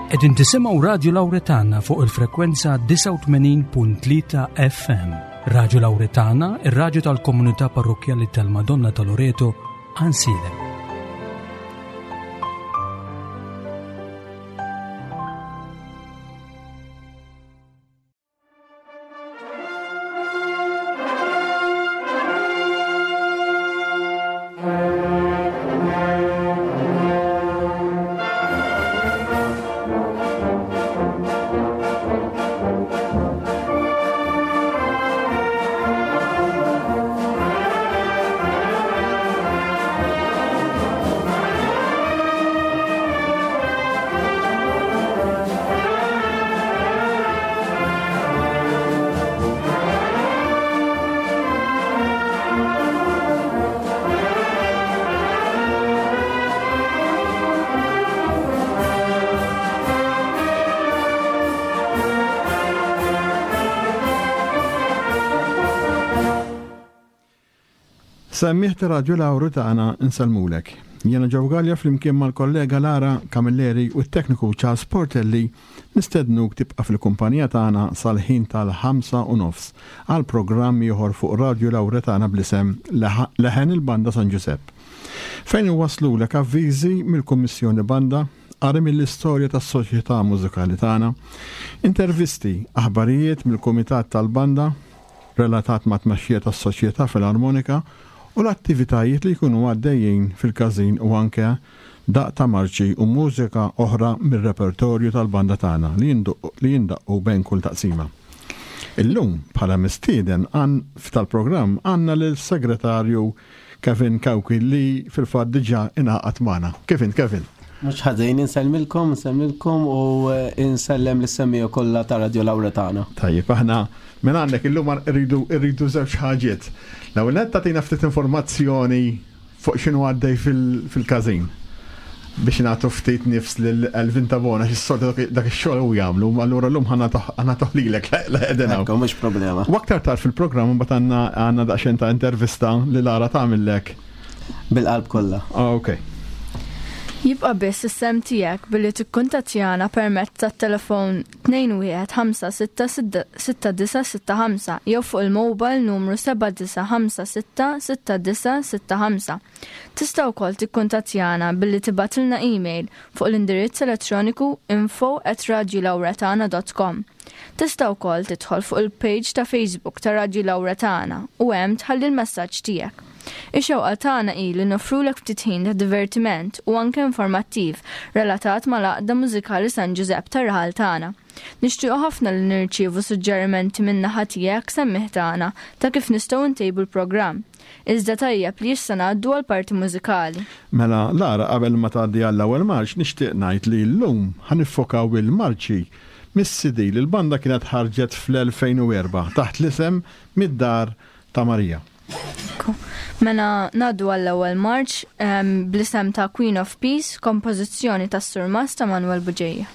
Qegħdin tisimgħu Radju Lawretana fuq il-frekwenza 89.3 FM. Radju Lawretana, ir-radju tal-komunità parrokkjali tal-Madonna ta' Loreto, Ansilem. Semmiħ ta' Radju Lawru tagħna nsellmulek. Jiena Joe Gallia flimkien mal-kollega Lara Camilleri u t-tekniku Charles Portelli Nistednuk tibqa' fil-kumpanija tagħna sal-ħin tal-ħamsa u nofs għal programm ieħor fuq Radju Lawretana bl-isem Leħen il-Banda San Ġużepp. Fejn inwasslulek avviżi mill-Kummissjoni Banda, qari mill-istorja tas-Soċjetà Mużikali tagħna, intervisti, aħbarijiet mill-Kumitat tal-Banda, relatat mat-tmexxija tas-Soċjetà Filarmonika u l-attivitajiet li jkunu għaddejjin fil-każin u anke daqq ta' marċi u mużika oħra mir-repertorju tal-banda tagħna li jindaqqu bejn kull taqsima. Illum, bħala mistieden tal-programm għandna lill-Segretarju Kevin Cauchi li fil-fatt diġà ingħaqad magħna. Kif int Kevin? Mhux ħażin, insellmilkom, insellmilkom u insellem lis-semmiegħa kollha ta' Radio Lawretana. Tajjeb, aħna minn għandek illum rridu rridu żewġ ħaġiet. L-ewwel nett tagħtina ftit informazzjoni fuq x'inhu għaddej fil-każin biex nagħtu ftit nifs lil Elvin Tabona għax is-soltu dak ix-xogħol hu jagħmlu, allura llum ħa nagħtuh lilek la qegħdin hawn. Ekku, mhux problema. U aktar tard fil-programm imbagħad għandna għandna daqsxejn ta' intervista li Lara tagħmillek. Bil-qalb kollha. Ok. Jibqa' biss is-sehem tiegħek billi tikkuntattjana permezz tat-telefon 21566965 jew fuq il-mobile numru 79566965. Tista' wkoll tikkuntattjana billi tibgħatilna email fuq l-indirizz elettroniku info@radiolawretana.com. Tista' wkoll tidħol fuq il-page ta' Facebook ta' Radju Lawra Tagħna u hemm tħalli l-messaġġ tiegħek. Ix-xewqa tagħna hi li noffrulek ftit ħin ta' divertiment u anke informattiv relatat mal-Għaqda Mużikali San Ġużepp tar-raħal tagħna. Nixtiequ ħafna li nirċievu suġġerimenti min-naħa tiegħek semmiegħ tagħna ta' kif nistgħu ntejbu l-programm. Iżda tajjeb li issa ngħaddu għall-parti mużikali. Mela Lara qabel ma tgħaddi għall-ewwel marċ nixtieq ngħid li llum ħa niffokaw il-marċi mis-CD li l-banda kienet ħarġet fl-2004 taħt l-isem Mid-Dar ta' Marija. Mela ngħaddu għall-ewwel marċ ehm, bl-isem ta' Queen of Peace, kompożizzjoni tas-Surmast ta' Manuel Buġeja.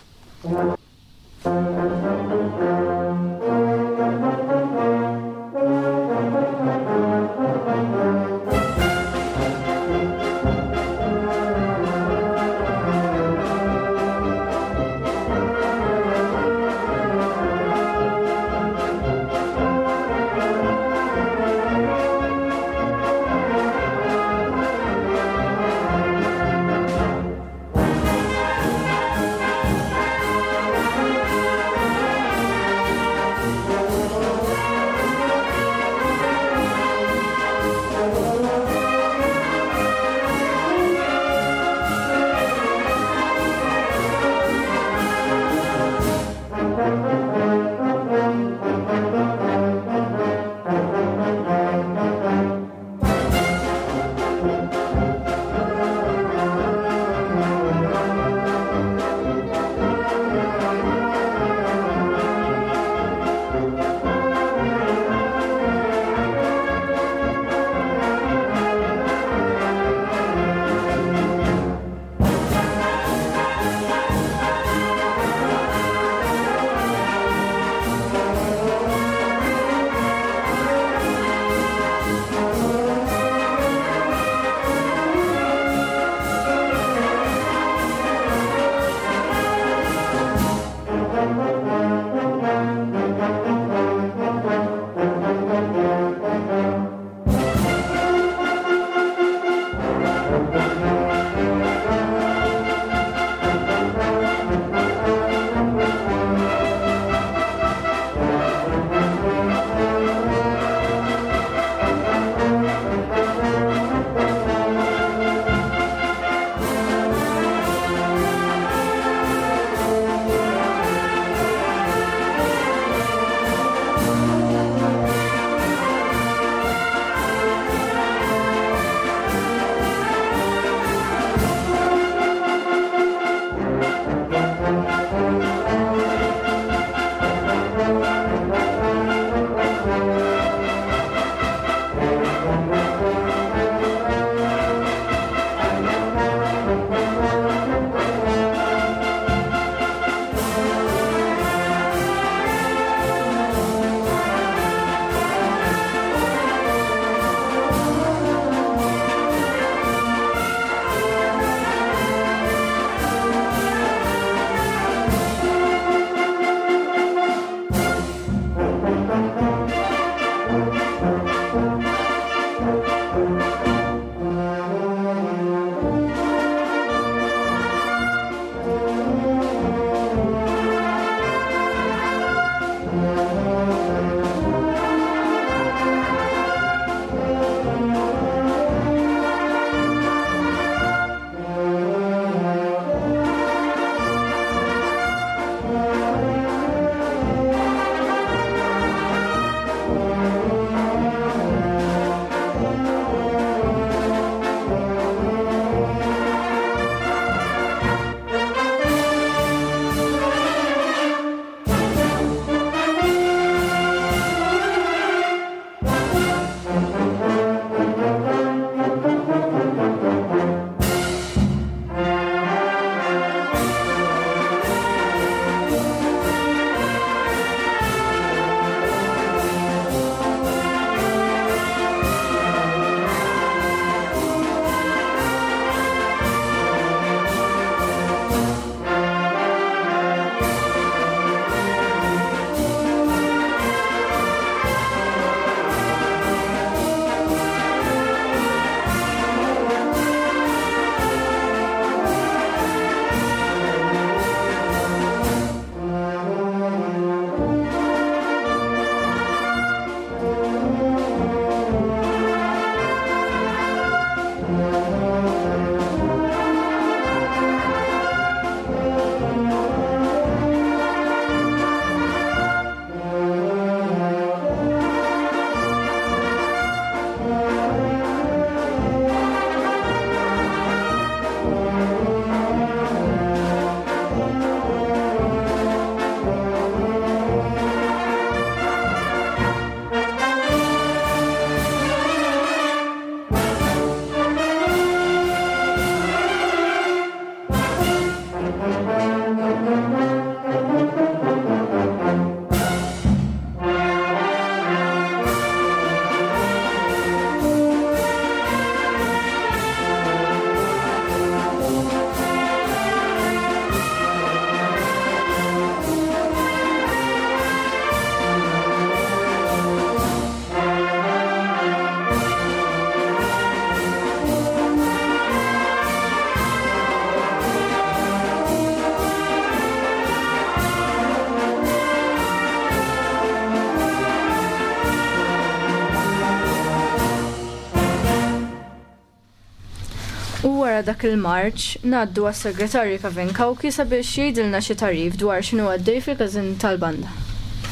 U wara dak il-marċ, ngħaddu għas-Segretarju Kevin Cauchi sabiex jgħidilna xi tagħrif dwar x'inhu għaddej fil-każin tal-banda.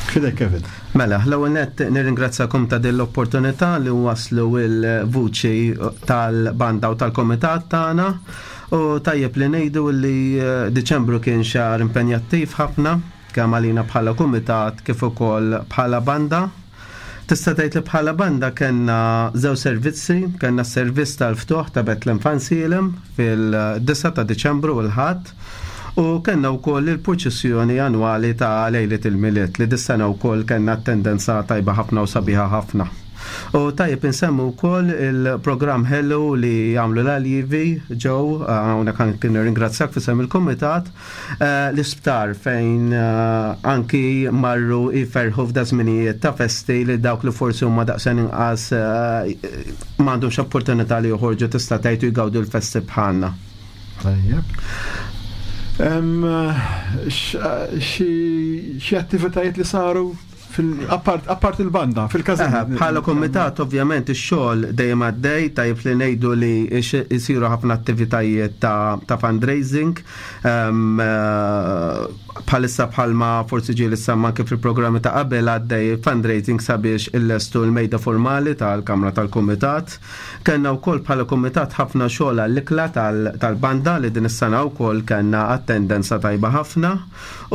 F'idejk Kevin. Mela, l-ewwel nett nirringrazzakom ta' din l-opportunità li nwasslu l-vuċi tal-banda u tal-kumitat tagħna. U tajjeb li ngħidu li Diċembru kien xahar impenjattiv ħafna kemm għalina bħala kumitat kif ukoll bħala banda. Tista' tgħid li bħala banda kellna żewġ servizzi, kellna s-servizz tal-ftuħ ta' Bethlehem Fansilem fil-9 ta' Diċembru u l-Ħadd u kellna wkoll il-purċissjoni annwali ta' Lejliet il-Milied li dis-sena wkoll kellna attendenza tajba ħafna u sabiħa ħafna. U tajjeb insemmu wkoll il-programm ħelu li jagħmlu l-aljivi ġew hawnhekk anki nirringrazzjak f'isem il-kumitat eh, l-isptar fejn eh, anki marru jferħu f'da żminijiet ta' festi li dawk li forsi huma daqsxejn inqas eh, m'għandhomx opportunità li joħorġu tista' tgħid u jgawdu l-festi bħalna. Tajjeb. Xi attivitajiet li saru Apart il-banda, fil-każin. Bħala komitat, ovvjament, ix-xogħol dejjem għaddej, tajjeb li ngħidu li jsiru ħafna attivitajiet ta' fundraising. Ehm, eh, bħalissa bħalma forsi ġieli semma anke fil-programmi ta' qabel għaddej fundraising sabiex illestu l-mejda formali tal-Kamra tal-Kumitat. Kellna wkoll bħala kumitat ħafna xogħol għall-ikla tal-banda li din is-sena wkoll kellna attendenza tajba ħafna.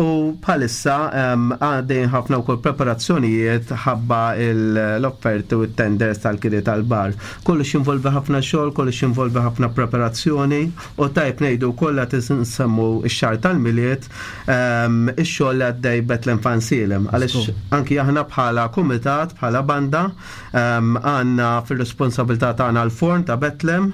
U bħalissa għaddejjin ħafna wkoll preparazzjonijiet ħabba l-offerti u t-tenders tal-kiri tal-bar. Kollox jinvolvi ħafna xogħol, kollox jinvolvi ħafna preparazzjoni u tajb ngħidu wkoll qed insemmu x-xahar tal-Milied ix-xogħol li għaddej Bethlehem Fansilem. Għaliex anki aħna bħala kumitat, bħala banda, għandna fir-responsabilità tagħna l-forn ta' Bethlehem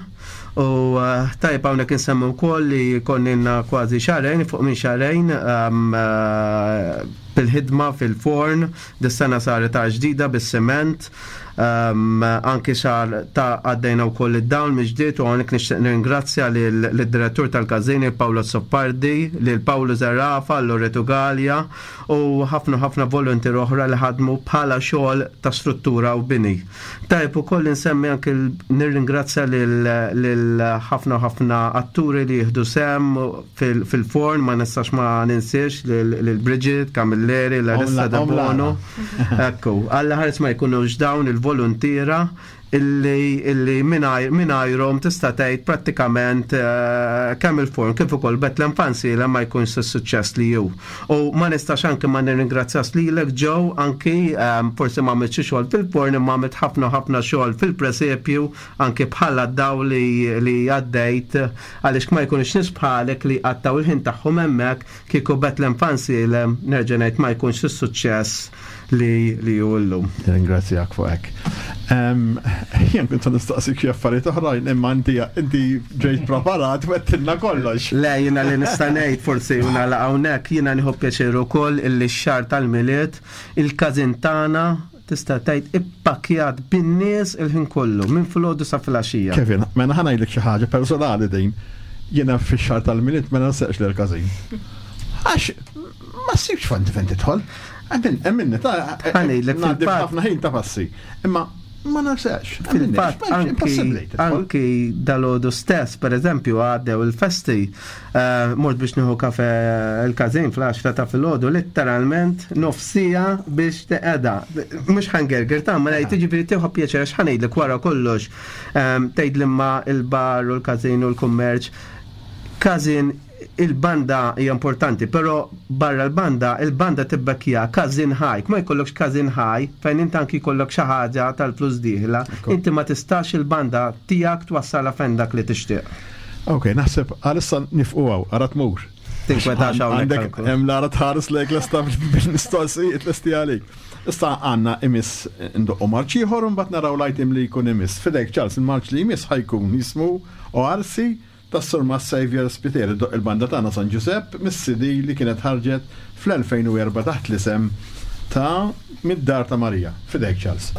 U eh, tajb hawnhekk insemmu wkoll li konninna kważi xahrejn fuq minn xahrejn ehm, eh, bil-ħidma fil-forn, dis-sena saret ta' ġdida bis-siment, ehm, anki xar ta' għaddejna wkoll id-dawl miġdiet u hawnhekk nixtieq nirringrazzja lid-direttur tal-każini Paolo Soppardi, lil Paolo Zerafa, Loreto Gallia u ħafna ħafna volontier oħra li ħadmu bħala xogħol ta' struttura u bini. Tajjeb ukoll insemmi anke nirringrazzja lil ħafna u ħafna atturi li jieħdu sehem fil-forn, ma nistax ma ninsiex lil Bridget, Camilleri, Larissa De Bono. Ekku, Alla ħares ma jkunux dawn il-voluntiera illi illi mingħajrhom tista' tgħid prattikament eh, kemm il-forn kif ukoll Bethlehem Fancy ma jkunx is-suċċess li hu. U ma nistax anki ma nirringrazzjax lilek Joe anki ehm, forsi ma għamilt xi xogħol fil-porn imma għamilt ħafna ħafna xogħol fil-presepju anki bħala daw li li għaddejt għaliex ma jkunux nies bħalek li għattaw il-ħin tagħhom hemmhekk kieku Bethlehem Fansilem nerġa' ngħid ma jkunx is-suċċess li li hu llum. Ringrazzjak fuq hekk. Jien kont se nistaqsik xi affarijiet oħrajn imma inti inti ġejt preparat u għedtilna kollox. Le, jiena li nista' ngħid forsi u nagħlaq hawnhekk, jiena nieħu pjaċir ukoll illi x-xahar tal-Milied il-każin tagħna tista' tgħid ippakkjat bin-nies il-ħin kollu, minn filgħodu sa filgħaxija. Kevin, mela ħa ngħidlek xi ħaġa personali din. Jiena fix-xahar tal-Milied ma nansaqx lill-każin. Għax ma ssibx fejn fejn tidħol. Emminni, ta' Ħanejlek fil-fatt. ħafna ħin ta' passi. Imma ma nafsex. Fil-fatt, anki dal-ħodu stess, per eżempju, għaddew il-festi, eh, mort biex nieħu kafe il-kazin fl-10 ta' filgħodu, letteralment nofsija biex teqeda. Mhux ħangerger ta' ma ngħid jiġifieri tieħu pjaċir għax ħanejdlek wara kollox eh, tgħid l-imma il-bar u l-kazin u l-kummerċ. Kazin il-banda hija importanti, però barra l-banda, il-banda tibbekkja każin ħaj. Ma jkollokx każin ħaj fejn inti anki jkollok xi ħaġa tal-flus dieħla, inti ma tistax il-banda tiegħek twassalha fejn dak li tixtieq. Ok, naħseb għalissa nifqu hawn, ara tmur. Tinkwetax hawnhekk. Għandek hemm lara tħares lejk lesta bil-mistoqsijiet lesti għalik. Issa għandna imiss ndoqqu marċ ieħor u mbagħad naraw l-item li jkun imiss. Fidejk Charles, il-marċ li jmiss ħajkun jismu Oarsi tas-Surmast Saviour Spiteri ddoqq il-banda tagħna San Ġużepp mis-CD li kienet ħarġet fl-2004 taħt l-isem ta' Mid-Dar ta' Marija. F'idejk Charles.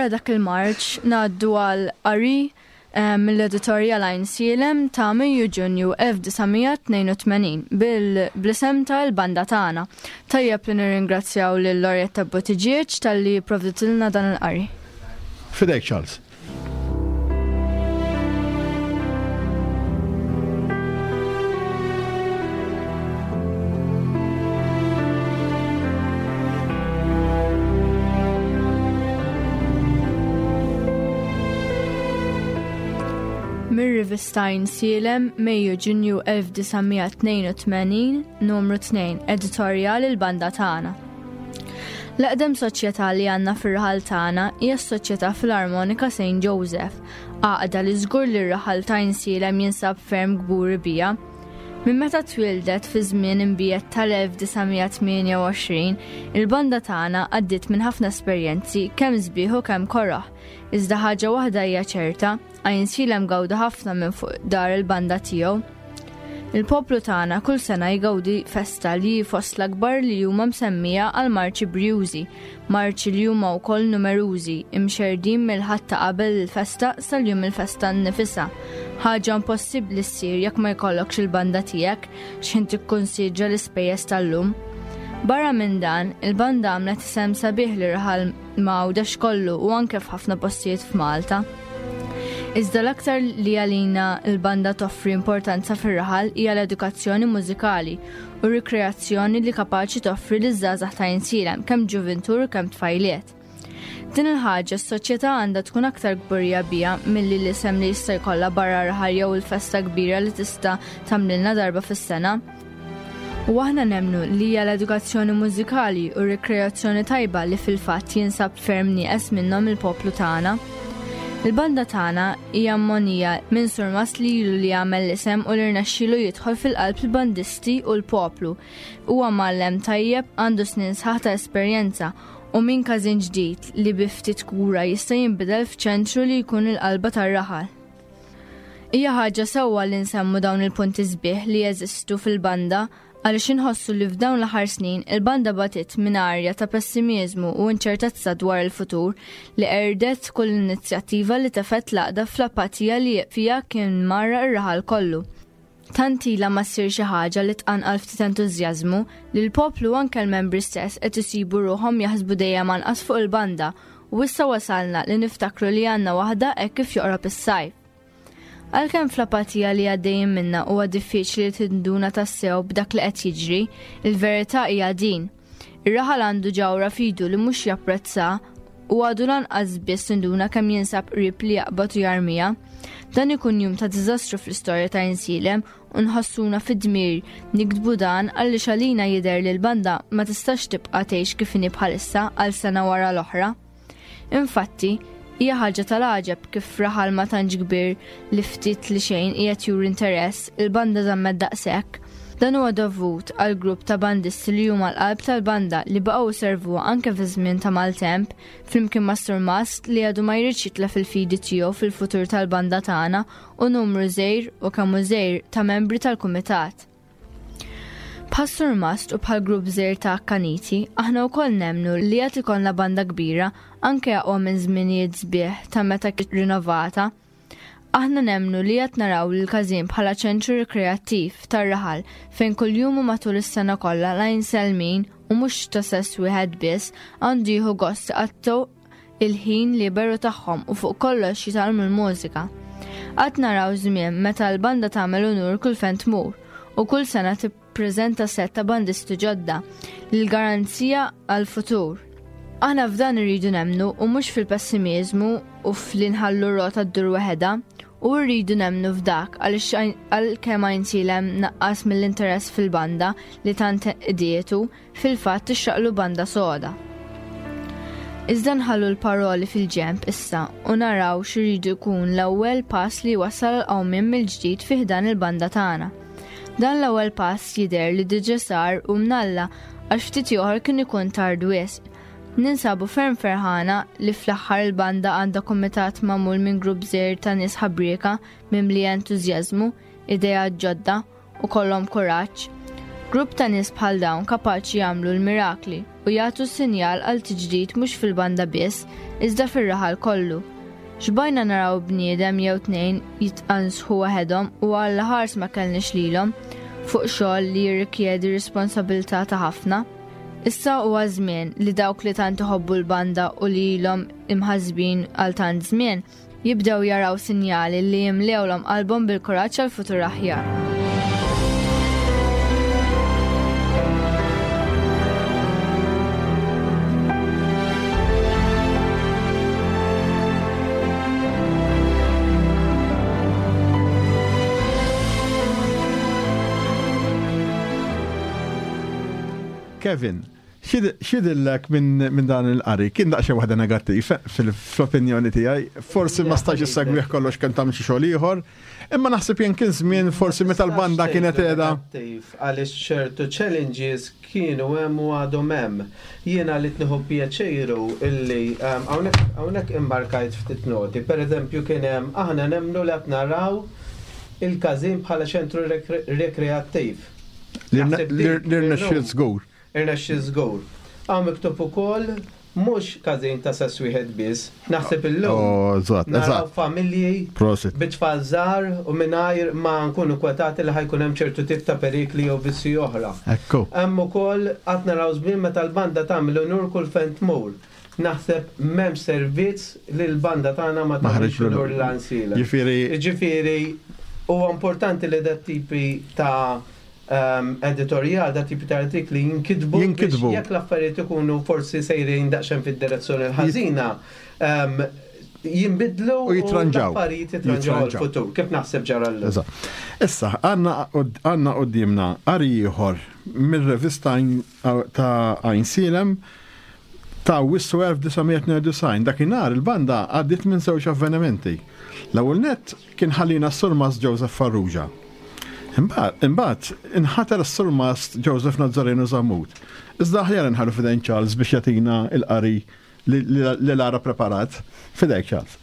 Wara dak il-marċ ngħaddu għal qari eh, mill-editorjal Għajnsielem ta' Mejju Ġunju 1982 bil-blisem ta' l-banda tagħna. Tajjeb li nirringrazzjaw lil Lorietta Buttigieg talli provditilna dan il-qari. Fidejk Charles. Mir-rivista Għajnsielem, Mejju Ġunju 1982, numru 2, editorjal il-banda tagħna. L-eqdem soċjetà li għandna fir-raħal tagħna hija s-Soċjetà Filarmonika St. Joseph, għaqda li żgur li r-raħal ta' Għajnsielem jinsab ferm kburi biha. Minn meta twieldet fi żmien imbiegħed tal-1928, il-banda tagħna għaddiet minn ħafna esperjenzi kemm sbieħ u kemm koroh. Iżda ħaġa waħda hija ċerta, Għajnsielem gawda ħafna minn fuq dar il-banda tiegħu. Il-poplu tagħna kull sena jgawdi festa li hi fost l-akbar li huma msemmija għal marċi brjużi, marċi li huma wkoll numerużi, imxerrdin mill-Ħadd ta' qabel il-festa sal-jum il-festa nnifisha. Ħaġa impossibbli ssir jekk ma jkollokx il-banda tiegħek x'ħin tikkunsidra l-ispejjeż tal-lum. Barra minn dan, il-banda għamlet isem sabiħ lir-raħal ma' Għawdex kollu u anke f'ħafna postijiet f'Malta. Iżda l-aktar li għalina l-banda toffri importanza fir-raħal hija l-edukazzjoni mużikali u rikreazzjoni li kapaċi toffri liż-żgħażagħ ta' Għajnsielem kemm ġuvintur u kemm tfajliet. Din il-ħaġa s-soċjetà għandha tkun aktar kburija biha milli l-isem li jista' jkollha barra raħal jew il-festa kbira li tista' tagħmlilna darba fis-sena. U aħna nemmnu li hija l-edukazzjoni mużikali u r-rikreazzjoni tajba li fil-fatt jinsab ferm nieqes minnhom il-poplu tagħna. Il-banda tagħna hija mmonija minn surmast li ilu li għamel l-isem u li rnexxielu jidħol fil-qalb il-bandisti u l-poplu. Huwa mgħallem tajjeb, għandu snin sħaħ ta' esperjenza u minn każin ġdid li bi ftit kura jista' jinbidel f'ċentru li jkun il-qalba tar-raħal. Hija ħaġa sewwa li nsemmu dawn il-punti sbieħ li jeżistu fil-banda għaliex inħossu li f'dawn l-aħħar snin il-banda batiet minn arja ta' pessimiżmu u inċertezza dwar il-futur li qerdet kull inizjattiva li tefgħet l-għaqda fl-apatija li fiha kien mgħarraq ir-raħal kollu. Tant ilha ma ssir xi ħaġa li tqanqal ftit entużjażmu li l-poplu u anke l-membri stess qed isibu ruħhom jaħsbu dejjem anqas fuq il-banda u issa wasalna li niftakru li għandna waħda hekk kif joqrob is-sajf. Għalkemm fl-apatija li għaddejjin minnha huwa diffiċli li tinduna tassew b'dak li qed jiġri, il-verità hija din. Ir-raħal għandu ġawhra f'idu li mhux japprezza u għadu lanqas biss induna kemm jinsab qrib li jaqbad u jarmiha. Dan ikun jum ta' diżastru fl-istorja ta' Insielem u nħossuna fid-dmir niktbu dan għaliex għalina jidher li l-banda ma tistax tibqa' tgħix kif inhi bħalissa għal sena wara l-oħra. Infatti, hija ħaġa tal-għaġeb kif f'raħal ma tantx kbir li ftit li xejn qiegħed juri interess, il-banda żammet daqshekk. Dan huwa dovut għal grupp ta' bandisti li huma l-qalb tal-banda li baqgħu jservuha anke fi żmien ta' maltemp, flimkien ma' surmast li għadu ma jridx jitlef il-fidi tiegħu fil-futur tal-banda tagħna u numru żgħir u kemm hu żgħir ta' membri tal-kumitat. Bħas-surmast u bħal grupp żgħir ta' akkaniti, aħna wkoll nemmnu li għad ikollna banda kbira anke aqwa minn żminijiet sbieħ ta' meta kienet rinovata. Aħna nemmnu li għad naraw lill-każin bħala ċentru rikreattiv tar-raħal fejn kuljum u matul is-sena kollha l-Għajnselmin u mhux ta' sess wieħed biss għandu jieħu gost iqattgħu il-ħin liberu tagħhom u fuq kollox jitgħallmu l-mużika. Għad naraw żmien meta l-banda tagħmel unur kull fejn tmur u kull sena tippreżenta sett ta' bandisti ġodda li l-garanzija għall-futur. Aħna f'dan irridu nemmnu u mhux fil-pessimiżmu u f'li nħallu r-rota ddur waħedha u rridu nemmnu f'dak għaliex għalkemm Għajnsielem naqqas mill-interess fil-banda li tant qdietu, Fil-fatt tixraqlu banda soda. Iżda nħallu l-paroli fil-ġenb issa u naraw x'iridu jkun l-ewwel pass li jwassal għal qawmien mill-ġdid fi ħdan il-banda tagħna. Dan l-ewwel pass jidher li diġa sar u mnalla għax ftit ieħor kien ikun tard wisq. Ninsabu ferm ferħana li fl-aħħar il-banda għandha kumitat magħmul minn grupp żgħir ta' nies ħabrieka mimlija entużjażmu, ideat ġodda u kollhom kuraġġ. Grupp ta' nies bħal dawn kapaċi jagħmlu l-mirakli. u jagħtu sinjal għal tiġdid mhux fil-banda biss, iżda fir-raħal kollu. Xbajna naraw bniedem jew tnejn jitqansħu waħedhom u Alla ħars ma kellniex lilhom fuq xogħol li jirrikjedi responsabilità ta' ħafna. Issa huwa żmien li dawk li tant iħobbu l-banda u li ilhom imħassbin għal tant żmien jibdew jaraw sinjali li jimlewlhom qalbhom bil-kuraġġ għal futur aħjar. Kevin, xidillek minn dan il-qari? Kien daqsxejn waħda negattiv fl-opinjoni tiegħi. Forsi ma stax issegwih kollox kemm tagħmel xi xogħol ieħor, imma naħseb jien kien żmien forsi meta l-banda kienet qiegħda. Għaliex ċertu challenges kienu hemm u għadhom hemm. Jiena li tnieħu pjaċir hu illi hawnhekk immarkajt ftit noti. Pereżempju kien hemm aħna nemmnu li qed naraw il-każin bħala ċentru rekreattiv. Li rnexxiel żgur. Irnexxiel żgur. Hawn miktub ukoll mhux każin ta' sess wieħed biss. Naħseb illum oh, naraw familji bi tfal żgħar u mingħajr ma nkunu kwetati li ħa jkun hemm ċertu tip ta' perikli jew vizzji oħra. Ekku. Hemm ukoll qatt naraw żmien meta l-banda tagħmel unur kull fejn tmur. Naħseb m'hemmx servizz li l-banda tagħna ma tagħmilx unur lil Għajnsielem. Ġifieri. Ġifieri huwa importanti li dat tipi ta' editorjal, dat tipi ta' artikli jinkitbu. Jinkitbu. Jekk l-affarijiet ikunu forsi sejrin daqsxejn fid-direzzjoni l-ħażina, jinbidlu u jitranġaw. L-affarijiet jitranġaw għall-futur, kif naħseb ġara llum. Issa, għandna quddiemna qari ieħor mir-revista ta' Għajnsielem ta' Awwissu 1992. Dakinhar il-banda għaddiet minn żewġ avvenimenti. L-ewwel nett kien ħallina s-Surmast Joseph Farrugia. Imbagħad inħatar s-Surmast Joseph Nazzareno Zammut. Iżda aħjar inħallu f'idejn Charles biex jagħtina l-qari li Lara preparat. F'idejk Charles.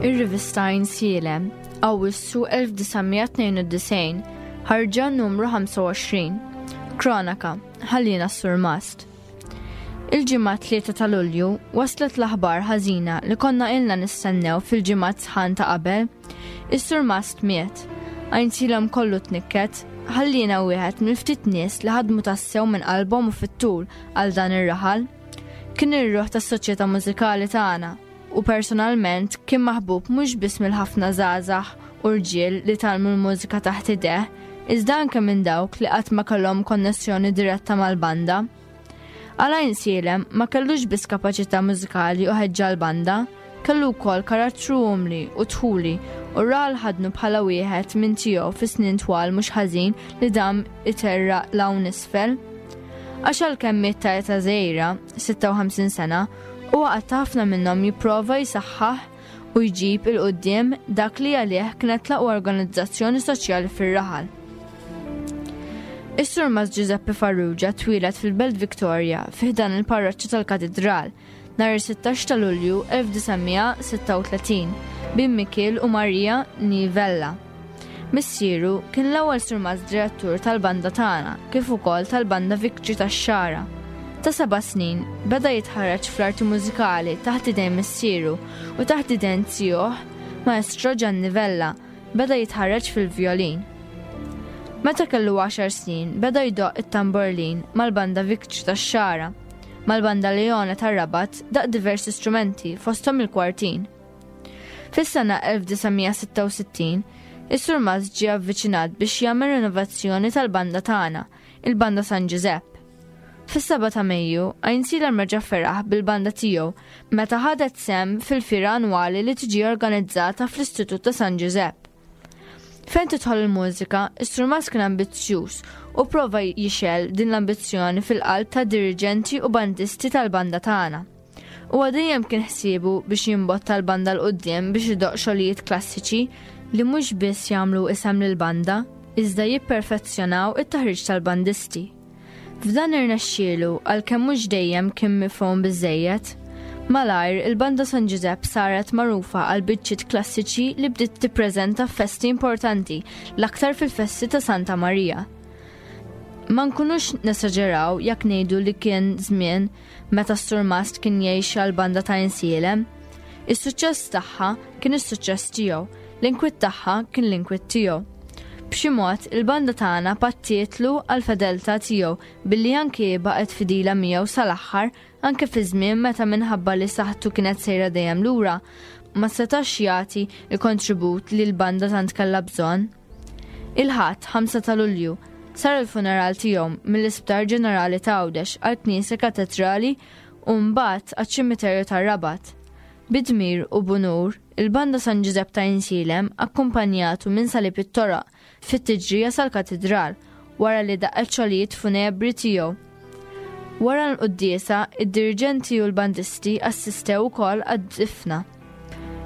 Ir-rivista Għajnsielem, Awwissu 1992, ħarġa numru 25. Kronaka, ħallina s-surmast. Il-Ġimgħa 3 ta' Lulju waslet l-aħbar ħażina li konna ilna nistennew fil-ġimgħat sħan ta' qabel. Is-surmast miet. Għajnsilhom kollu tnikket, ħallina wieħed mill-ftit nies li ħadmu tassew minn qalbhom u fit-tul għal dan ir-raħal. Kien ir-ruħ tas-soċjetà mużikali tagħna u personalment kien maħbub mhux biss mill-ħafna żgħażagħ u rġiel li tgħallmu l-mużika taħt idejh, iżda anke minn dawk li qatt ma kellhom konnessjoni diretta mal-banda. Għal Għajnsielem ma kellux biss kapaċità mużikali u ħeġġa l-banda, kellu wkoll karattru umli u dħuli u r-raħal ħadnu bħala wieħed minn tiegħu fi snin twal mhux ħażin li dam iterraq 'l hawn isfel. Għax għalkemm miet ta' età żgħira, 56 sena, huwa qatta' ħafna minnhom jipprova jsaħħaħ u jġib 'il quddiem dak li għalih kienet l-aqwa organizzazzjoni soċjali fir-raħal. Is-Surmast Giuseppe Farrugia twieled fil-Belt Victoria fi ħdan il-parroċċa tal-Katidral nhar is-16 ta' Lulju 1936 bin Mikiel u Maria Nivella. Missieru kien l-ewwel surmast direttur tal-banda tagħna kif ukoll tal-Banda Victory tax-Xagħra. Ta' seba' snin beda jitħarreġ fl-arti mużikali taħt idejn missieru u taħt idejn zijuh, Maestro Gianni Vella, beda jitħarreġ fil-vjolin. Meta kellu għaxar snin beda jdoqq it-tamborlin mal-Banda Victory tax-Xagħra. Mal-Banda Leone tar-Rabat daqq diversi strumenti fosthom il-kwartin. Fis-sena 1966, is-Surmast ġie avviċinat biex jagħmel rinovazzjoni tal-banda tagħna, il-Banda San Ġużepp. Fis-7 ta' Mejju, Għajnsielem reġa' feraħ bil-banda tiegħu meta ħadet sehem fil-fiera annwali li tiġi organizzata fl-Istitut ta' San Ġużepp. Fejn tidħol il-mużika, is-Surmast kien ambizzjuż u prova jixgħel din l-ambizzjoni fil-qalb ta' diriġenti u bandisti tal-banda tagħna. Huwa dejjem kien ħsiebu biex jimbotta l-banda 'l quddiem biex idoqq xogħlijiet klassiċi li mhux biss jagħmlu isem lill-banda. iżda jipperfezzjonaw it-taħriġ tal-bandisti. F'dan irnexxielu għalkemm mhux dejjem kien mifhum biżżejjed. Malajr, il-Banda San Ġużepp saret magħrufa għal biċċiet klassiċi li bdiet tippreżenta f'festi importanti, l-aktar fil-festi ta' Santa Marija. Ma nkunux nesaġeraw jekk ngħidu li kien żmien meta s-surmast kien jgħix għall-banda ta' Insielem. Is-suċċess tagħha kien is-suċċess tiegħu, l-inkwiet tagħha kien l-inkwiet tiegħu. B'xi mod, il-banda tagħna pattietlu għall-fedeltà tiegħu billi anki hi baqgħet fidila miegħu sal-aħħar anke fi żmien meta minħabba li saħħtu kienet sejra dejjem lura, ma setax jagħti l-kontribut li l-banda tant kellha bżonn. Il-Ħadd, 5 ta' Lulju, sar il-funeral tiegħu mill-Isptar Ġenerali ta' Għawdex għall-Knisja Katedrali u mbagħad għaċ-Ċimiterju tar-Rabat. Bi dmir u b'unur, il-Banda San Ġużepp ta' Għajnsielem akkumpanjatu minn Salib it-Toroq fit-tiġrija sal-Katidral wara li daqqet xogħlijiet funebri tiegħu. Wara l-quddiesa, id-diriġenti u l-bandisti assistew ukoll għad-difna.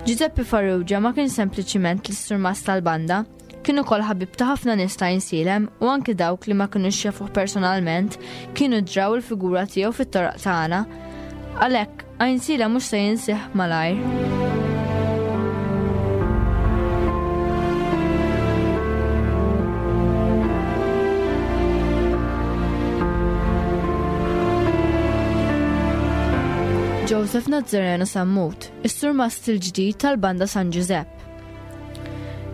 Giuseppe Farrugia ma kien sempliċiment l-isturmast tal-banda, kien ukoll ħabib ta' ħafna nies ta' Għajnsielem u anki dawk li ma kinux jafuh personalment kienu draw il-figura tiegħu fit-toroq tagħna. Għalhekk, Għajnsielem mhux se jinsih malajr. Joseph Nazzareno Sammut, is-surmast il-ġdid tal-Banda San Ġużepp.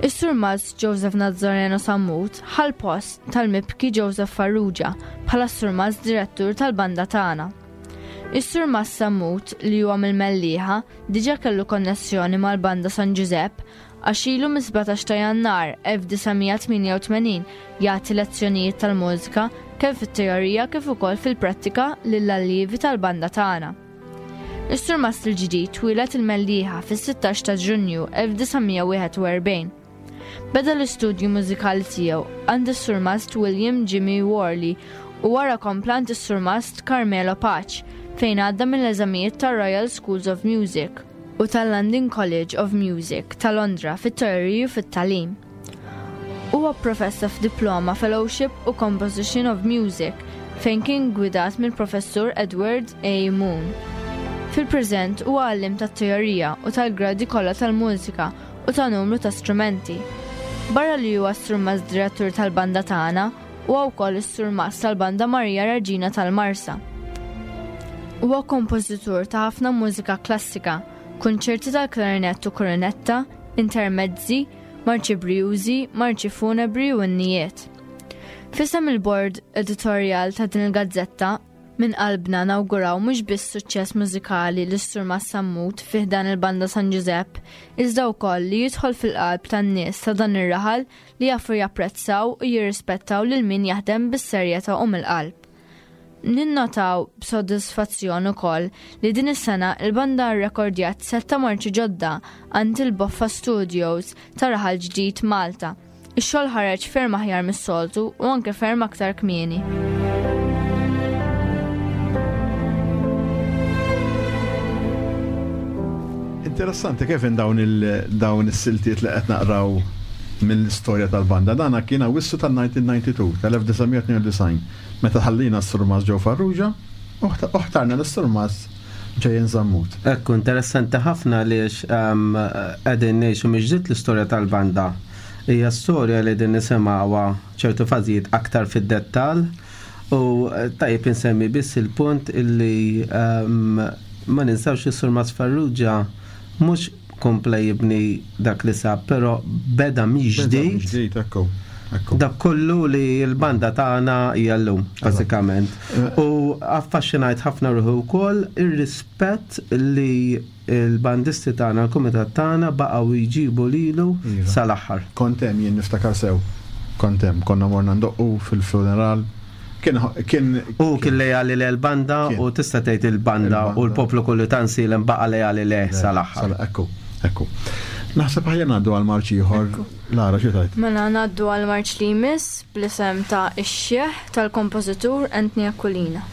Is-surmast Joseph Nazzareno Sammut ħa l-post tal-mibki Joseph Farrugia bħala s-surmast direttur tal-banda tagħna. Is-surmast Sammut li huwa mill-Mellieħa diġà kellu konnessjoni mal-Banda San Ġużepp għax ilu mis-17 ta' Jannar 1988 jagħti lezzjonijiet tal-mużika kemm fit-teorija kif ukoll fil-prattika lill-allievi tal-banda tagħna. Is-surmast il-ġdid twieled il-Mellieħa fis-16 ta' Ġunju 1941. Beda l-istudju mużikali tiegħu għand is-surmast William Jimmy Worley u wara kompla għand is-surmast Carmelo Pace fejn għadda mill-eżamijiet tar-Royal Schools of Music u tal-London College of Music ta' Londra fit-teoriji u fit-tagħlim. Huwa pprofessa f'Diploma Fellowship u Composition of Music fejn kien ggwidat mill-Professur Edward A. Moon. Fil-preżent huwa għalliem tat-teorija u tal-gradi kollha tal-mużika u ta' numru ta' strumenti. Barra li huwa s-surmast direttur tal-banda tagħna, huwa wkoll is-surmast tal-Banda Marija Reġina tal-Marsa. Huwa kompożitur ta' ħafna mużika klassika, kunċerti tal-klarinett u kornetta, intermezzi, marċi brijużi, marċi funebri u innijiet. F'isem il-bord editorjal ta' din il-gazzetta, minn qalbna nawguraw mhux biss suċċess mużikali lis Sur Sammut fi ħdan il-Banda San Ġużepp, iżda wkoll li jidħol fil-qalb tan-nies ta' dan ir-raħal li jafu japprezzaw u jirrispettaw lil min jaħdem bis-serjetà u mill-qalb. Ninnotaw b'sodisfazzjon ukoll li din is-sena il-banda rrekordjat sett ta' marċi ġodda għand il-Boffa Studios ta' Raħal Ġdid Malta. Ix-xogħol ħareġ ferm aħjar mis-soltu u anke ferm aktar kmieni. Interessanti Kevin dawn il dawn is-siltiet li qed naqraw mill-istorja tal-banda. Dana kien Awwissu tal-1992, tal-1992. Meta ħallina s-Surmast Joe Farrugia u ħtarna lis-Surmast Jayen Zammut. Ekku, interessanti ħafna għaliex qegħdin ngħixu mill-ġdid l-istorja tal-banda. Hija storja li qegħdin nisimgħuha ċertu fażijiet aktar fid-dettall u tajjeb insemmi biss il-punt illi ma ninsawx li s-Surmast Farrugia mhux kompla jibni dak li sab, però beda mill-ġdid. Ġdid, ekku. Dak kollu li l-banda tagħna hija llum, bażikament. Eh. U affaxxinajt ħafna ruħu wkoll ir-rispett li l-bandisti tagħna, l-kumitat tagħna baqgħu jġibu lilu iva. sal-aħħar. Kont hemm jien niftakar sew. Kont hemm, konna morna ndoqqu fil-funeral Kien kien U kien lejali le l-banda u tista' tgħid il-banda u l-poplu kollu ta' Nsielem baqa' lejali leh sal-aħħar. Ekku, ekku. Naħseb aħjar ngħaddu għal marċ ieħor. Lara xi tgħid? Mela ngħaddu għal marċ li jmiss bl-isem ta' Ix-Xiħ tal-kompożitur Anthony Aquilina.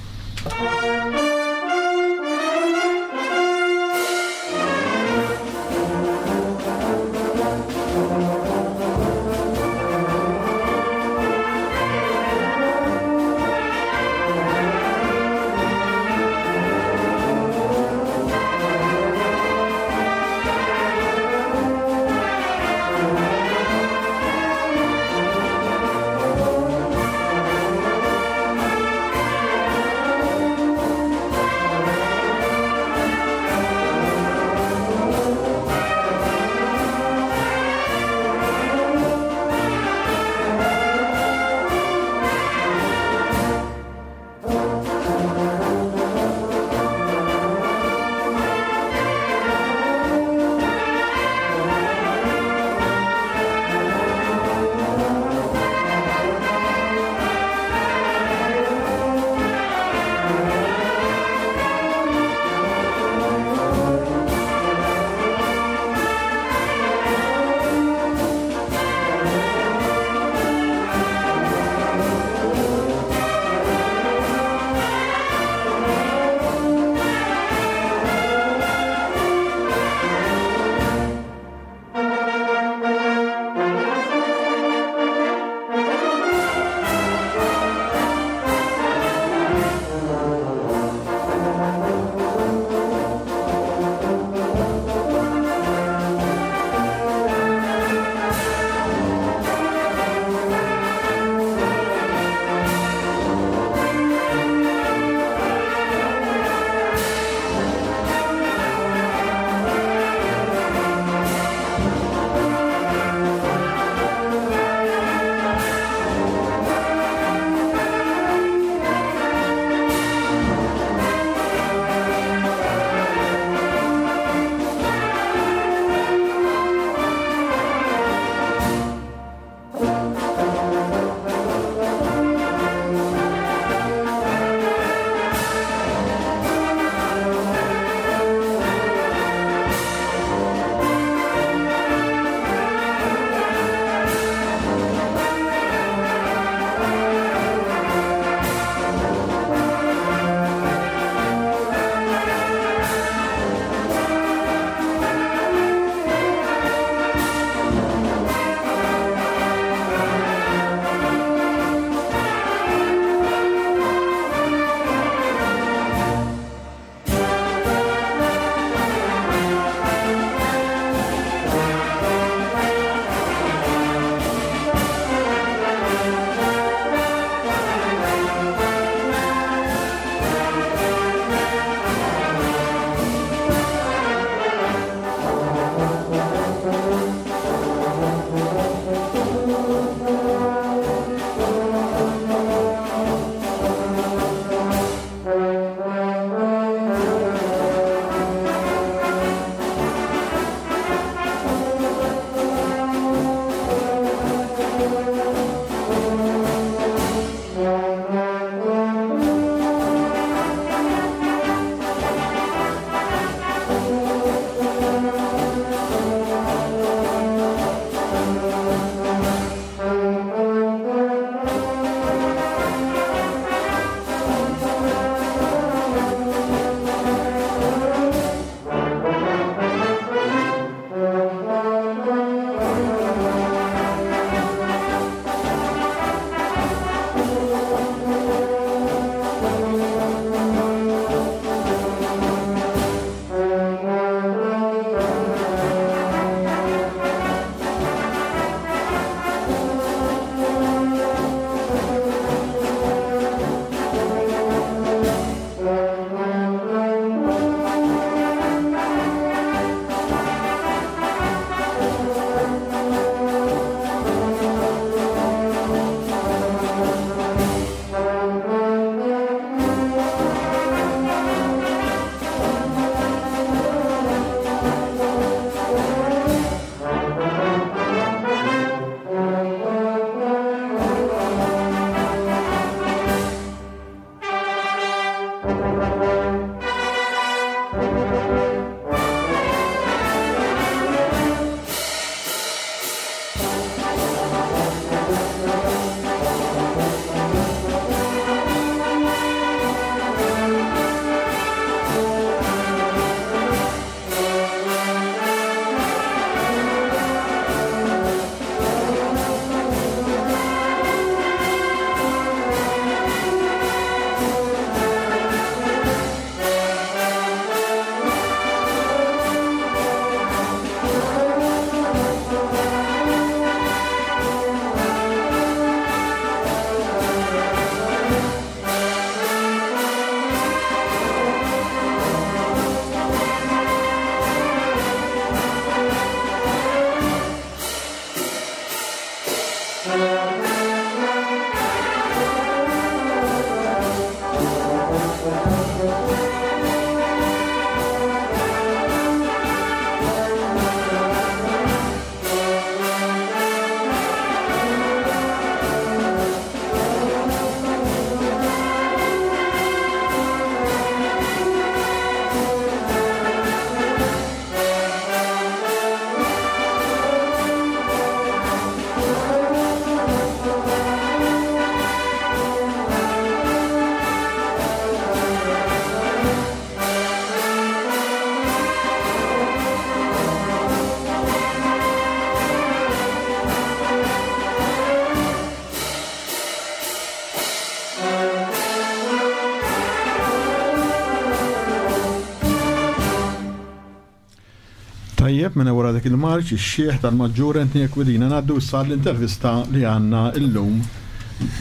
Tajjeb, mela wara dik il-marċ ix-xiħ tal-Maġġur Anthony Aquilina ngħaddu issa għall-intervista li għandna illum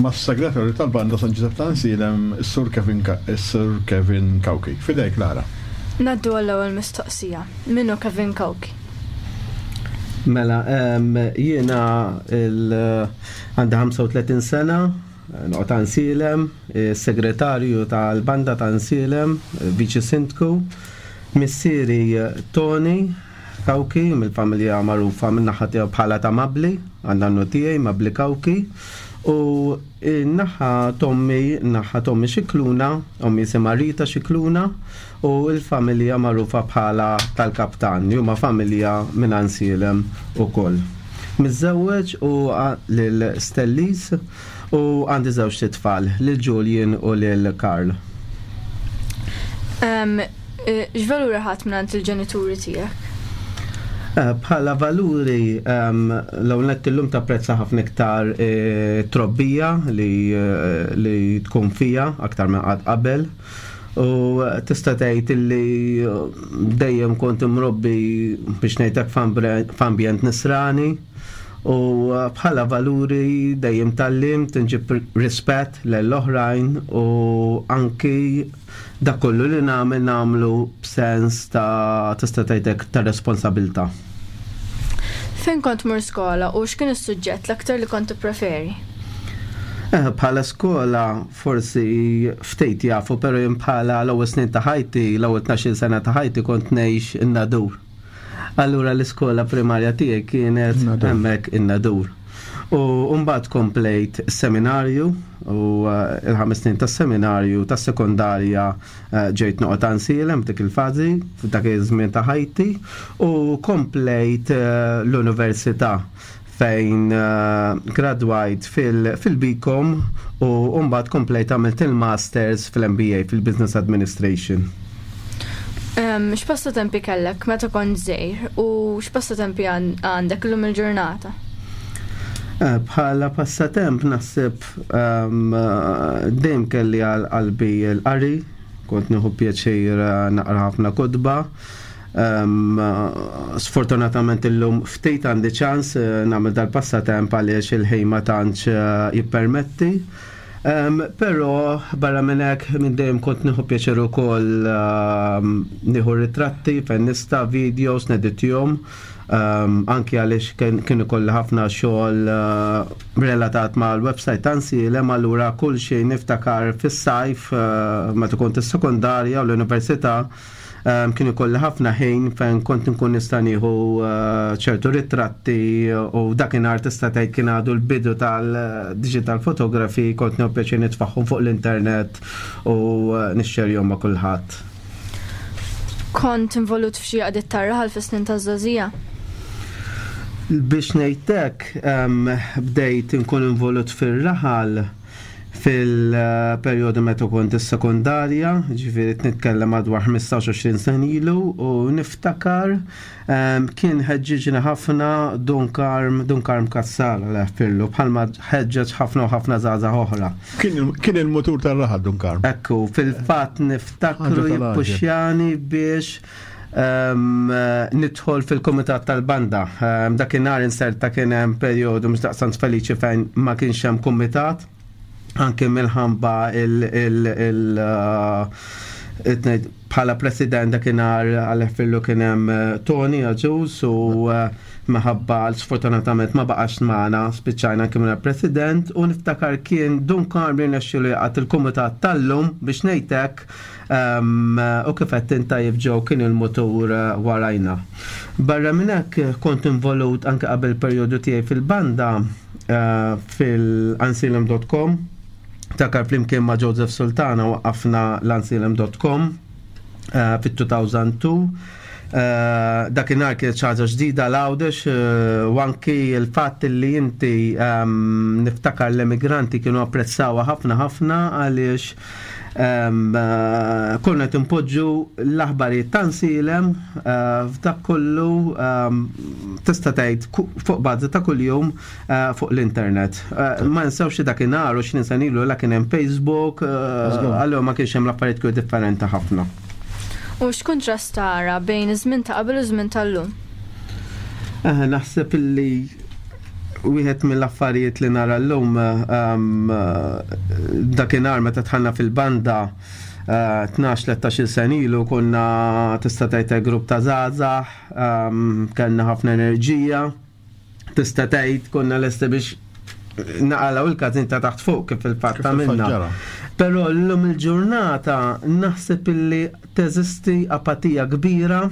mas-Segretarju tal-Banda San Ġużepp ta' Għansielem, is-Sur Kevin is-Sur Kevin Cauchi. F'idejk Lara. Ngħaddu għall-ewwel mistoqsija. Min hu Kevin Cauchi? Mela, jiena għandi 35 sena, noqgħod Għansielem, segretarju tal-Banda ta' Għansielem, Viċi Sindku. Missieri Tony Cauchi mill-familja magħrufa min-naħa tiegħu bħala ta' Mabli, għan-nannu tiegħi Mabli Cauchi, u n-naħa t'ommi, naħa t'ommi Scicluna, ommi jisimha Rita Scicluna, u l-familja magħrufa bħala tal-Kaptan, li huma familja minn Għansielem ukoll. Miżżewweġ u lil Stellis u għandi żewġt itfal, lil Julian u lil Karl. X'valuri ħadt mingħand il-ġenituri tiegħek? Bħala valuri, l-ewwel nett illum tapprezza ħafna iktar trobbija li, li tkun fija aktar minn qatt qabel. U tista' tgħid illi dejjem kont imrobbi biex ngħidlek f'ambjent nisrani u bħala valuri dejjem tgħallimt inġib rispett lejn l-oħrajn u anki dak kollu li nagħmel nagħmlu b'sens ta' tista' tgħid hekk ta' responsabilità. Fejn kont tmur skola u x'kien is-suġġett l-aktar li kont tippreferi? Bħala skola forsi ftit jafu, pero jien bħala l-ewwel snin ta' ħajti, l-ewwel 12-il sena ta' ħajti kont ngħix in-Nadur. Allura l-iskola primarja tiegħi kienet hemmhekk in-Nadur. U mbagħad komplejt seminarju u eh, il-ħames snin tas-seminarju tas-sekondarja eh, ġejt noqgħod Għansielem f'dik il-fażi, f'dak iż-żmien ta' ħajti u komplejt eh, l-università fejn gradwajt fil-BCom u mbagħad komplejt għamilt il-Masters fil-MBA fil-Business Administration. X'passatempi kellek meta kont żgħir u x'passatempi għandek illum il-ġurnata? Eh, bħala passatemp naħseb dejjem kelli għal qalbi l-qari, kont nieħu pjaċir eh, naqra ħafna kotba. Sfortunatament illum ftit għandi ċans eh, nagħmel dal-passatemp għaliex il-ħin ma tantx eh, jippermetti. Però barra minn hekk minn dejjem kont nieħu pjaċir ukoll nieħu ritratti fejn nista' videos neditjhom anki għaliex kien ikolli ħafna xogħol eh, relatat mal-website ta' Nsielem allura kull xejn niftakar fis-sajf meta kont is-sekondarja u l-università Kien ikolli ħafna ħin fejn kont nkun nista' nieħu eh, ċertu ritratti u dakinhar tista' tgħid kien għadu l-bidu tal-digital photography kont nieħu pjaċir nitfagħhom fuq l-internet u eh, nixxerjhom ma' kulħadd. Kont involut f'xi għaqdiet tar-raħal fis-snin taż-żgħożija? Biex ngħidlek, bdejt inkun involut fir-raħal Fil-perjodu meta kont is-sekondarja, ġifieri qed nitkellem madwar 15-20 sena ilu, u niftakar ehm, kien ħeġġiġni ħafna Dun Karm, Dun Karm Cassar Alla jaħfirlu, bħalma ħeġġeġ ħafna u ħafna żgħażagħ oħra. Kien il-mutur tar-raħal Dun Karm. Ekku, fil-fatt niftakru jippuxjani biex nidħol fil-kumitat tal-banda. Dakinhar inserta kien hemm perjodu mhux daqstant feliċi fejn ma kienx hemm kumitat anke minħabba il, il, il eh, bħala president dakinhar għal kien hemm eh, Tony Aġus u eh, minħabba sfortunatament ma baqax magħna spiċċajna anke minn president u niftakar kien Dun Karm li nexxielu jaqgħad il-kumitat tal-lum biex ngħidlek U kif għedt int tajjeb Joe kien il-mutur eh, warajna. Barra minn hekk kont involut anke qabel perjodu tiegħi fil-banda eh, fil-ansilem.com takar flimkien ma' Joseph Sultana waqqafna l-ansilem.com eh, fit-2002. Dakinhar kienet xi ħaġa ġdida l-Għawdex u anki l-fatt li inti ehm, niftakar l-emigranti kienu apprezzawha ħafna ħafna għaliex Eh, konna qed inpoġġu l-aħbarijiet ta' nsilem eh, f'dak kollu tista' tgħid fuq bażi ta' kuljum eh, fuq l-internet. Ma nsewx li dakinhar u x'nin sena ilu la kien hemm Facebook, allura ma kienx hemm l-affarijiet kienu differenti ħafna. U x'kuntrast tara bejn iż-żmien ta' qabel u żmien tal-lum? Eh, naħseb illi wieħed mill-affarijiet li nara llum ehm, dakinhar meta tħanna fil-banda 12-13 eh, sen ilu konna tista' tgħid grupp ta' żgħażagħ, ehm, kellna ħafna enerġija, tista' tgħid konna lesti biex naqalaw il-kazin ta' taħt fuq kif il-fatt għamilna. Però llum il-ġurnata naħseb illi teżisti apatija kbira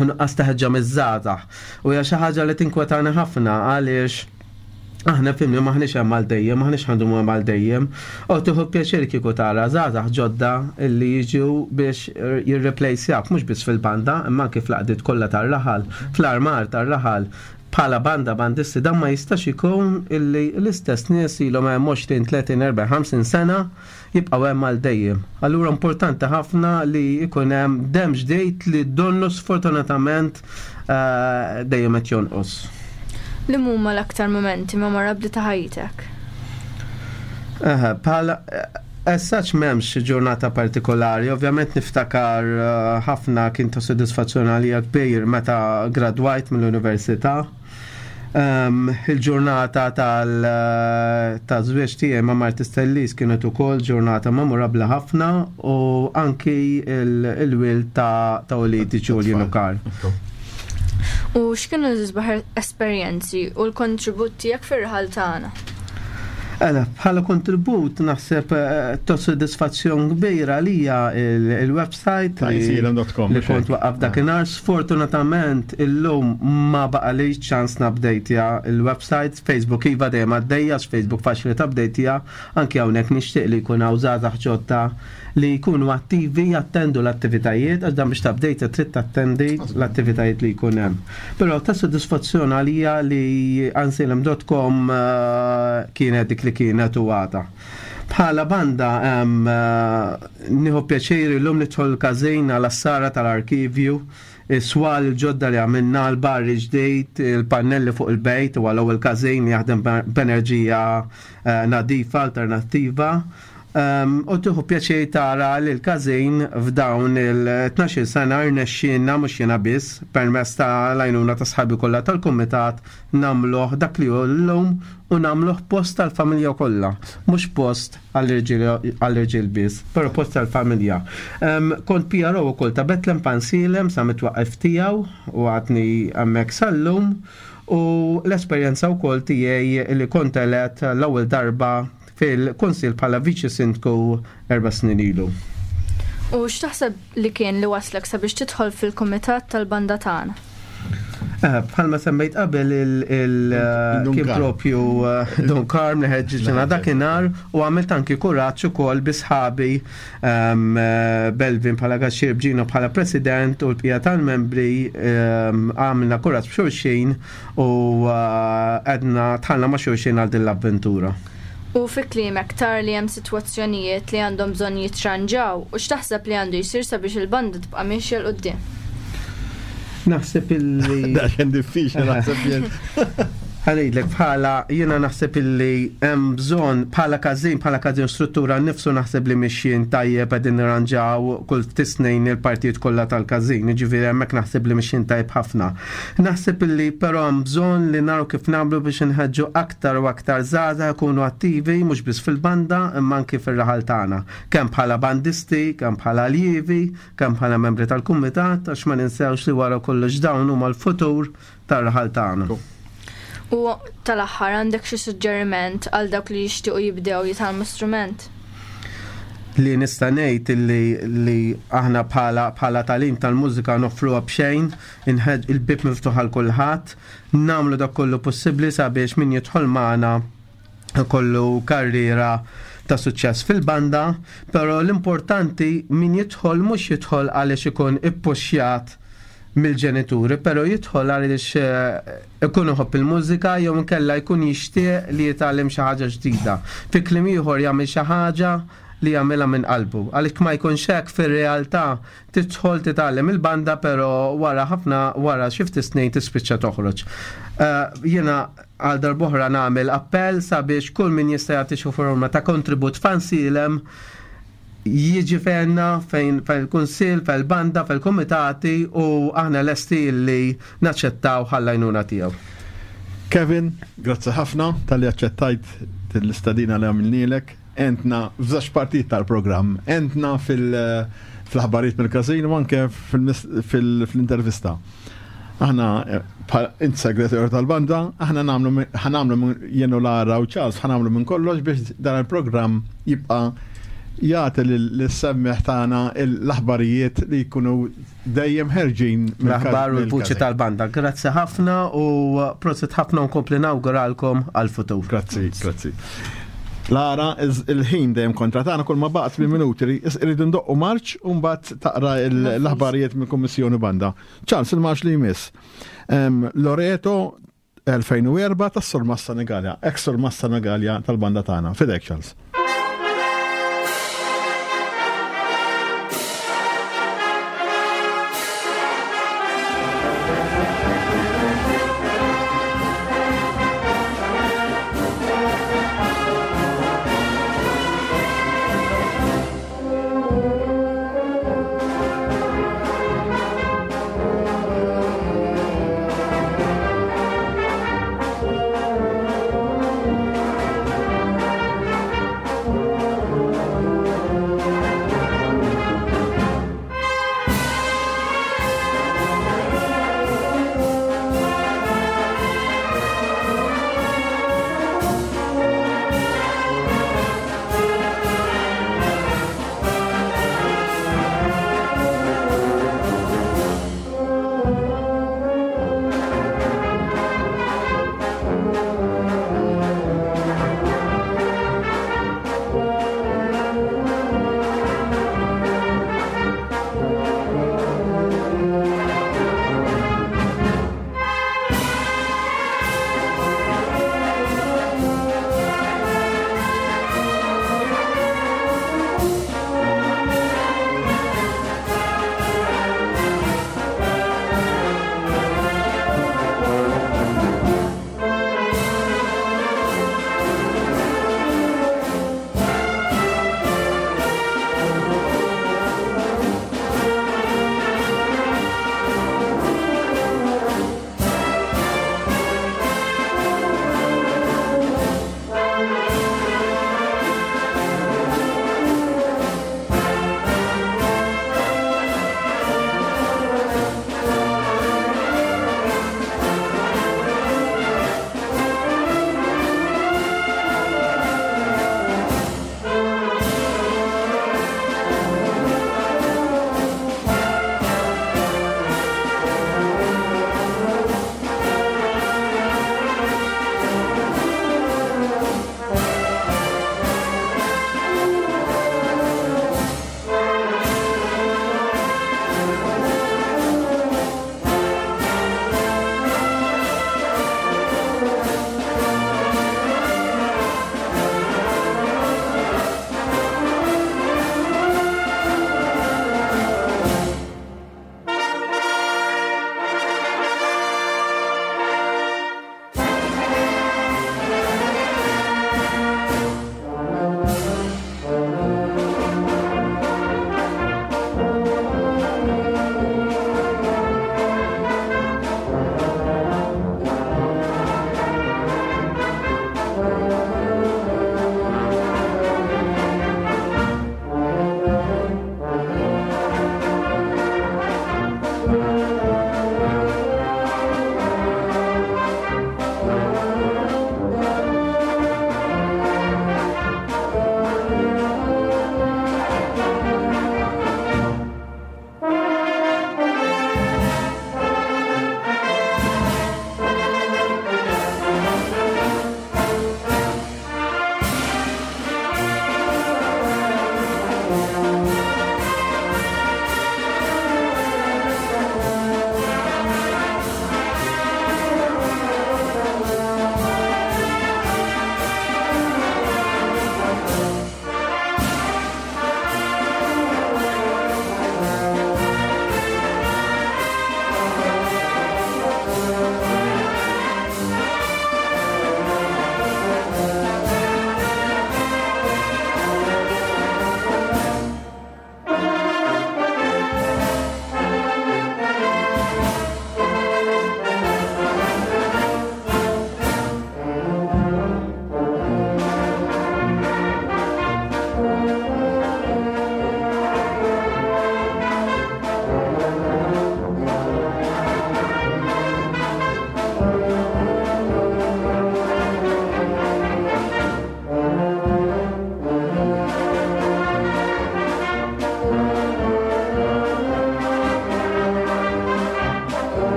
u nuqqas ta' ħeġġa miż-żgħażagħ. U hija xi ħaġa li tinkwetani ħafna għaliex aħna fimni maħniex hemm għal dejjem, maħniex ħandumu hemm għal dejjem. U tieħu pjaċir kieku tara żgħażagħ ġodda li jiġu biex jirreplacejak mhux biss fil-banda, imma anki fl-għaqdiet kollha tar-raħal, fl-armar tar-raħal. Bħala banda bandisti dan ma jistax ikun illi l-istess nies ilhom hemm 20, 30, 40, 50 sena jibqgħu hemm għal dejjem. Allura importanti ħafna li jkun hemm demm ġdid li donnu sfortunatament eh, dejjem qed jonqos. Li huma l-aktar momenti memorabbli ta' ħajtek? Eh, bħala As such m'hemmx ġurnata partikolari, ovvjament niftakar eh, ħafna kien ta' sodisfazzjon għalija kbir meta gradwajt mill-università. Um, il-ġurnata tal-żwieġ eh, tiegħi ma' Marti Stellis kienet ukoll ġurnata memorabbli ħafna u anki il-wil ta' ta' uliedi Julian u Karl. U x'kienu l-isbaħ esperjenzi u l-kontribut tiegħek fir-raħal tagħna? Ela, bħala kontribut naħseb eh, ta' sodisfazzjon kbira għalija il-website li kont waqqaf dakinhar. Sfortunatament illum ma baqali ċans nabdejtja il-website Facebook iva dejjem għaddejja, Facebook faċli tabdejtja, anki hawnhekk nixtieq li jkun hawn żgħażagħ ġodda li jkunu attivi jattendu l-attivitajiet, għax dan biex tabdejta trid tattendi l-attivitajiet li jkun hemm. Però ta' sodisfazzjon għalija li ansilem.com eh, kienet dik li kienet u għada. Bħala banda eh, nieħu pjaċir illum nidħol każin għal assara tal-arkivju, is-swal il-ġodda li għamilna, l-barri ġdid, il-pannelli fuq il-bejt u għal ewwel każin li jaħdem b'enerġija eh, nadifa alternattiva. U tieħu pjaċir tara li l-każin f'dawn il-12-il sena rnexxielna mhux jiena biss, permezz ta' l-għajnuna ta' sħabi kollha tal-kumitat, nagħmluh dak li hu llum u nagħmluh post tal-familja kollha, mhux post għall-irġiel biss, però post tal-familja. Kont PRO ukoll ta' Bethlehem Pansilem sa mit-twaqqif tiegħu u għadni hemmhekk sal-lum u l-esperjenza wkoll tiegħi li kont elett l-ewwel darba fil-Kunsill bħala Viċi Sindku erba' snin ilu. U x'taħseb li kien li wasslek sabiex tidħol fil-kumitat tal-banda tagħna? Eh, bħalma semmejt qabel il eh, kien propju eh, Don Carm li ħeġġiġna dakinhar u għamilt anki kuraġġ ukoll bi sħabi ehm, Belvin bħala Gaxxir Bġino bħala President u l-bqija tal-membri ehm, għamilna kuraġġ b'xulxin U għedna tħallna ma' xulxin għal din l-avventura. U fi kliemek tara li hemm sitwazzjonijiet li għandhom bżonn jitranġaw u x'taħseb li għandu jsir sabiex il-banda tibqa' miexja 'l quddiem? Naħseb illi. Daqsxejn diffiċli naħseb jien. Ħanidlek bħala jiena naħseb illi hemm bżonn bħala każin bħala każin struttura nnifsu naħseb li mixjin tajjeb qegħdin nirranġaw kull ftit snin il-partijiet kollha tal-każin, jiġifieri hemmhekk naħseb li mixjin tajjeb ħafna. Naħseb illi però hemm bżonn li naraw kif nagħmlu biex inħeġġu aktar u aktar żgħażagħ ikunu attivi mhux biss fil-banda imma anki fir-raħal tagħna, kemm bħala bandisti, kemm bħala aljievi, kemm bħala membri tal-kumitat għax ma ninsewx li wara kollox dawn huma l-futur tar-raħal tagħna. U tal-aħħar għandek xi suġġeriment għal dawk li jixtiequ jibdew jitgħallmu strument? Li nista' ngħid illi li aħna bħala bħala tagħlim tal-mużika noffruha b'xejn, inħeġ il-bieb miftuħ għal kulħadd, nagħmlu dak kollu possibbli sabiex min jidħol magħna ikollu karriera ta' suċċess fil-banda, però l-importanti min jidħol mhux jidħol għaliex ikun ippuxjat mill-ġenituri, però jidħol għaliex eh, ikun iħobb il-mużika jew inkella jkun jixtieq li jitgħallem xi ħaġa ġdida. Fi kliem ieħor jagħmel xi ħaġa li jagħmilha minn qalbu. Għaliex ma jkunx hekk fir-realtà tidħol titgħallem il-banda però wara ħafna wara xi ftit snin tispiċċa toħroġ. Eh, jiena għal darb'oħra nagħmel appell sabiex kull min jista' jagħti xi forma ta' kontribut fansilem. jiġi fejna fejn fejn il-kunsill, fejn il-banda, fejn il-kumitati u aħna lesti li naċċettaw ħall-għajnuna tiegħu. Kevin, grazzi ħafna talli aċċettajt l-istadina li għamilnielek. Entna f'żewġ partijiet tal-programm, entna fil-aħbarijiet mill-każin u anke fil-intervista. Aħna int segretarju tal-banda, aħna nagħmlu ħanamlu jenu Lara u Charles ħanamlu minn kollox biex dan il-programm jibqa' jagħti lis-semmiegħ tagħna l-aħbarijiet li jkunu dejjem ħerġin l-aħbar u l-vuċi tal-banda. Grazzi ħafna u prosit ħafna u nkompli nawguralkom għal-futur. Grazzi, grazzi. Lara, il-ħin dejjem kontra tagħna kull ma baqgħet minn minuti rridu ndoqqu marċ u mbagħad taqra l-aħbarijiet mill-Kummissjoni Banda. Charles, il-marċ li jmiss. Loreto 2004 tas-Surmast Senegalja, ex-Surmast Senegalja tal-banda tagħna. Fidek, Charles.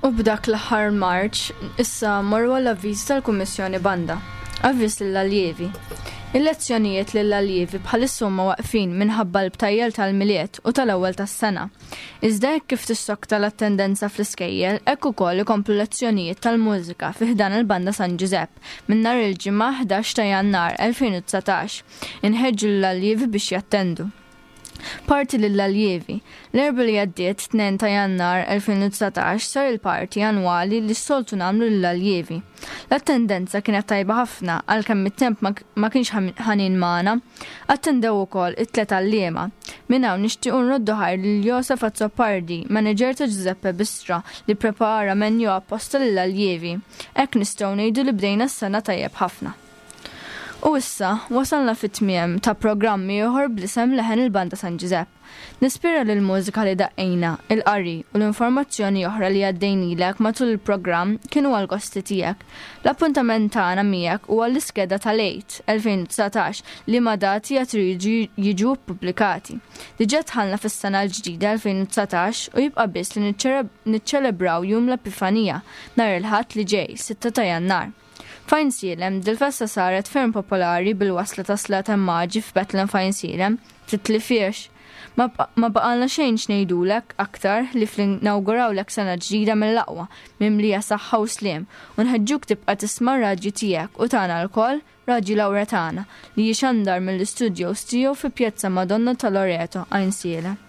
U b'dak l-aħħar marċ, issa mmorru għall-avviżi tal-Kummissjoni Banda. Avviż lill-aljevi. Il-lezzjonijiet lill-aljevi bħalissa huma waqfin minħabba l-btajjel tal-Milied u tal-ewwel tas-sena. Iżda hekk kif tissokta l-attendenza fl-iskejjel, hekk ukoll ikomplu lezzjonijiet tal-mużika fi ħdan il-Banda San Ġużepp minn nhar il-Ġimgħa 11 ta' Jannar 2019. Inħeġġu lill-aljevi biex jattendu. Party lill-aljevi. L-Erbgħa li għaddiet, 2 ta' Jannar 2019, sar il-party annwali li s-soltu nagħmlu lill-aljevi. L-attendenza kienet tajba ħafna għalkemm it-temp ma kienx ħanin magħna. Attendew ukoll it-tlet għalliema. Minn hawn nixtiequ nroddu ħajr lil Josef Azzopardi, manager ta' Giuseppe Bistra, li pprepara menu apposta lill-aljevi. Hekk nistgħu ngħidu li bdejna s-sena tajjeb ħafna. U issa, wasalna fit-tmiem ta' programm ieħor bl-isem Leħen il-Banda San Ġużepp. Nispera li l-mużika li daqqejna, il-qari u l-informazzjoni oħra li għaddejnilek matul il-programm kienu għall-gosti tiegħek. L-appuntament tagħna miegħek huwa l-iskeda tal-Għid 2019 liema dati għad iridu jiġu ppubblikati. Diġà dħalna fis-sena l-ġdida 2019 u jibqa' biss li niċċelebraw Jum l-Epifanija nhar il-Ħadd li ġej, 6 ta' Jannar. F'Għajnsielem, dil-festa saret ferm popolari bil-wasla ta' Slaten Maġi f'Betlem f'Għajnsielem, titlifhiex. Ma baqalna xejn x'ngħidulek aktar ħlief li nawgurawlek sena ġdida mill-aqwa, mimlija saħħa u sliem, u nħeġġuk tibqa' tisma' r-radju tiegħek u tagħna lkoll, Radju Lawretana, li jixandar mill-istudios tiegħu fi Pjazza Madonna ta' Loreto, Għajnsielem.